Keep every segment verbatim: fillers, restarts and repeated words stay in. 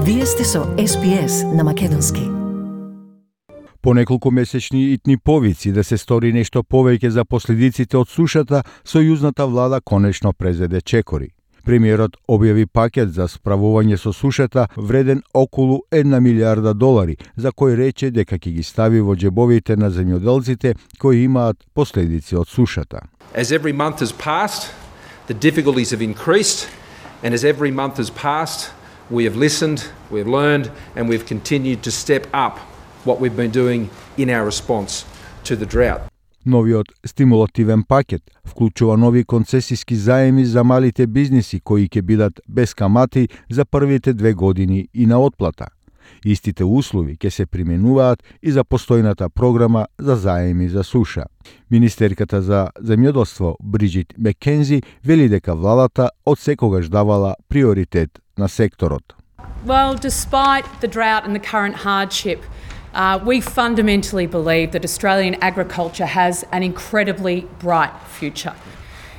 Вие сте со Ес Би Ес на македонски. По неколку месечни итни повици да се стори нешто повеќе за последиците од сушата, сојузната влада конечно презеде чекори. Премиерот објави пакет за справување со сушата вреден околу една милиарда долари, за кој рече дека ќе ги стави во џебовите на земјоделците кои имаат последици од сушата. As every month has passed, the difficulties have increased, and as every month has passed, we have listened, we have learned, and we've continued to step up what we've been doing in our response to the drought. Новиот стимулативен пакет вклучува нови концесиски заеми за малите бизниси кои ќе бидат без камати за првите две години и на отплата. Истите услови ќе се применуваат и за постојната програма за заеми за суша. Министерката за земјоделство Бриджит Мекензи вели дека владата од секогаш давала приоритет на секторот. Well, despite the drought and the current hardship, uh, we fundamentally believe that Australian agriculture has an incredibly bright future.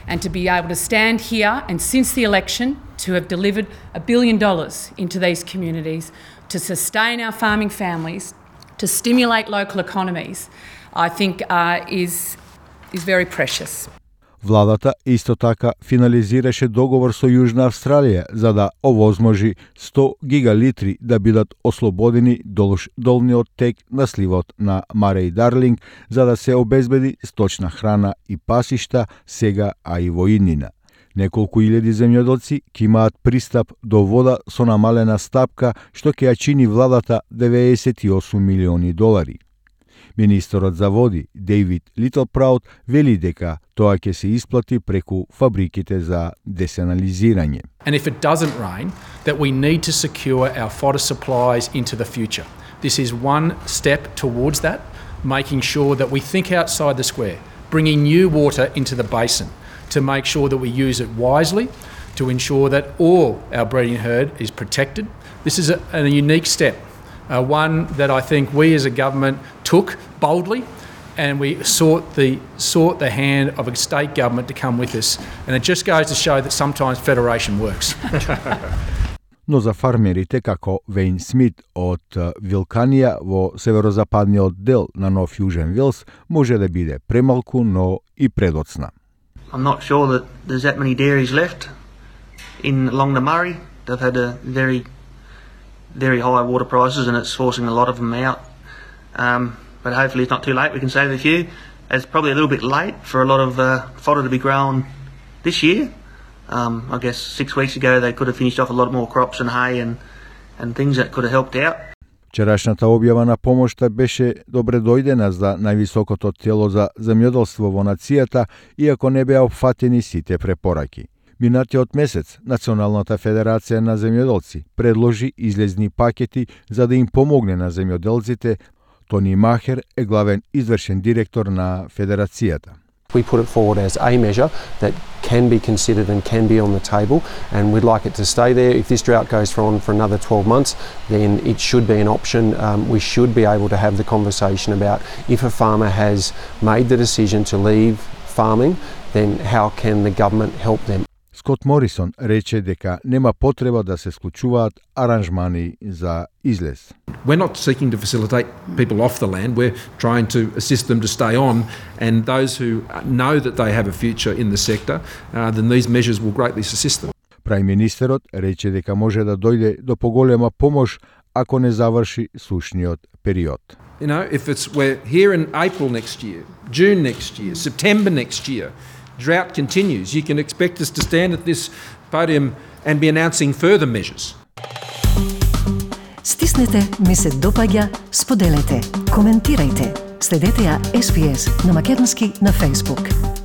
And to be able to stand here and since the election to have delivered a billion dollars into these communities, to sustain our farming families, to stimulate local economies, I think uh, is, is very precious. Владата исто така финализираше договор со Јужна Австралија за да овозможи сто гигалитри да бидат ослободени долж долниот тек на сливот на Мареј Дарлинг за да се обезбеди сточна храна и пасишта сега, а и во иднина. Неколку илјади земјоделци ќе имаат пристап до вода со намалена стапка, што ќе ја чини владата деветдесет и осум милиони долари. Министерот за води Дейвид Литлпраут вели дека тоа ќе се исплати преку фабриките за десанализирање. And if it doesn't rain, that we need to secure our fodder supplies into the future. This is one step towards that, making sure that we think outside the square, bringing new water into the basin to make sure that we use it wisely, to ensure that all our breeding herd is protected. This is a, a unique step. Uh, one that I think we as a government took boldly, and we sought the sought the hand of a state government to come with us. And it just goes to show that sometimes federation works. Но за фармерите како Вейн Смит од Вилканија во северозападниот дел на Нов Јужен Вилс може да биде премалку, но и предоцна. I'm not sure that there's that many dairies left in along the Murray. They've had a very very high water prices and it's forcing a lot of them out. Um, but hopefully it's not too late, we can save a few. It's probably a little bit late for a lot of uh, fodder to be grown this year. Um, I guess six weeks ago they could have finished off a lot more crops and hay and, and things that could have helped out. Вчерашната објава на помошта беше добре дојдена за највисокото тело за земјоделство во нацијата, иако не беа опфатени сите препораки. Минатиот месец, Националната федерација на земјоделци предложи излезни пакети за да им помогне на земјоделците. Тони Махер е главен извршен директор на федерацијата. We put it forward as a measure that can be considered and can be on the table, and we'd like it to stay there. If this drought goes on for another twelve months, then it should be an option. Um, we should be able to have the conversation about if a farmer has made the decision to leave farming, then how can the government help them? Скот Морисон рече дека нема потреба да се склучуваат аранжмани за излез. We're not seeking to facilitate people off the land, we're trying to assist them to stay on, and those who know that they have a future in the sector, uh, then these measures will greatly assist them. Прај министерот рече дека може да дојде до поголема помош ако не заврши сушниот период. You know, if it's we're here in April next year, June next year, September next year, drought continues, you can expect us to stand at this podium and be announcing further measures. Стиснете, ми се допаѓа, споделете, коментирајте. Следете ја Ес Би Ес на македонски на Facebook.